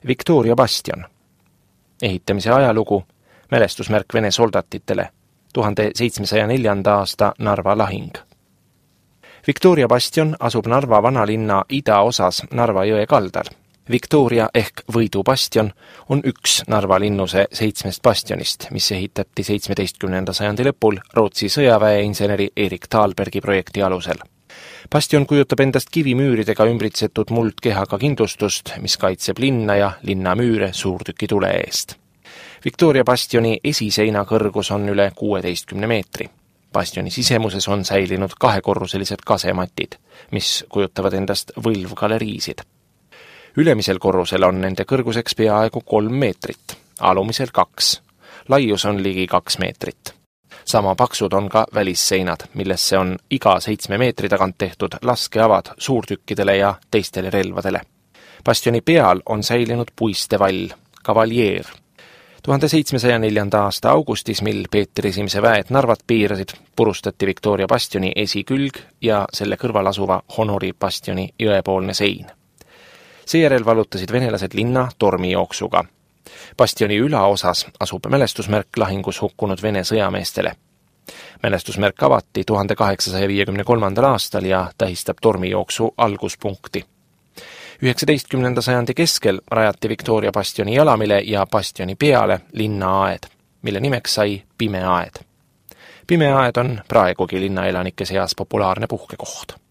Victoria bastion. Ehitamise ajalugu, mälestusmärk Vene soldatitele, 1704. aasta Narva lahing. Victoria bastion asub Narva vanalinna idaosas Narva jõe kaldal. Victoria ehk Võidu bastion on üks Narva linnuse 7 bastionist, mis ehitati 17. sajandi lõpul Rootsi sõjaväeinseneri Erik Thalbergi projekti alusel. Bastion kujutab endast kivimüüridega ümbritsetud muldkehaga kindlustust, mis kaitseb linna ja linnamüüre suurtükitule eest. Victoria bastioni esiseina kõrgus on üle 16 meetri. Bastioni sisemuses on säilinud 2-korruselised kasematid, mis kujutavad endast võlvgaleriisid. Ülemisel korrusel on nende kõrguseks peaaegu 3 meetrit, alumisel 2. Laius on ligi 2 meetrit. Sama paksud on ka välisseinad, millesse on iga 7 meetri tagant tehtud laskeavad suurtükkidele ja teistele relvadele. Bastioni peal on säilinud puistevall, kavaljeer. 1704. aasta augustis, mil Peeter I väed Narvat piirasid, purustati Victoria bastioni esikülg ja selle kõrval asuva Honori bastioni jõepoolne sein. Seejärel vallutasid venelased linna tormijooksuga. Bastioni ülaosas asub mälestusmärk lahingus hukkunud Vene sõjameestele. Mälestusmärk avati 1853. aastal ja tähistab tormijooksu alguspunkti. 19. sajandi keskel rajati Victoria bastioni jalamile ja bastioni peale linnaaed, mille nimeks sai Pimeaed. Pimeaed on praegugi linnaelanike seas populaarne puhkekoht.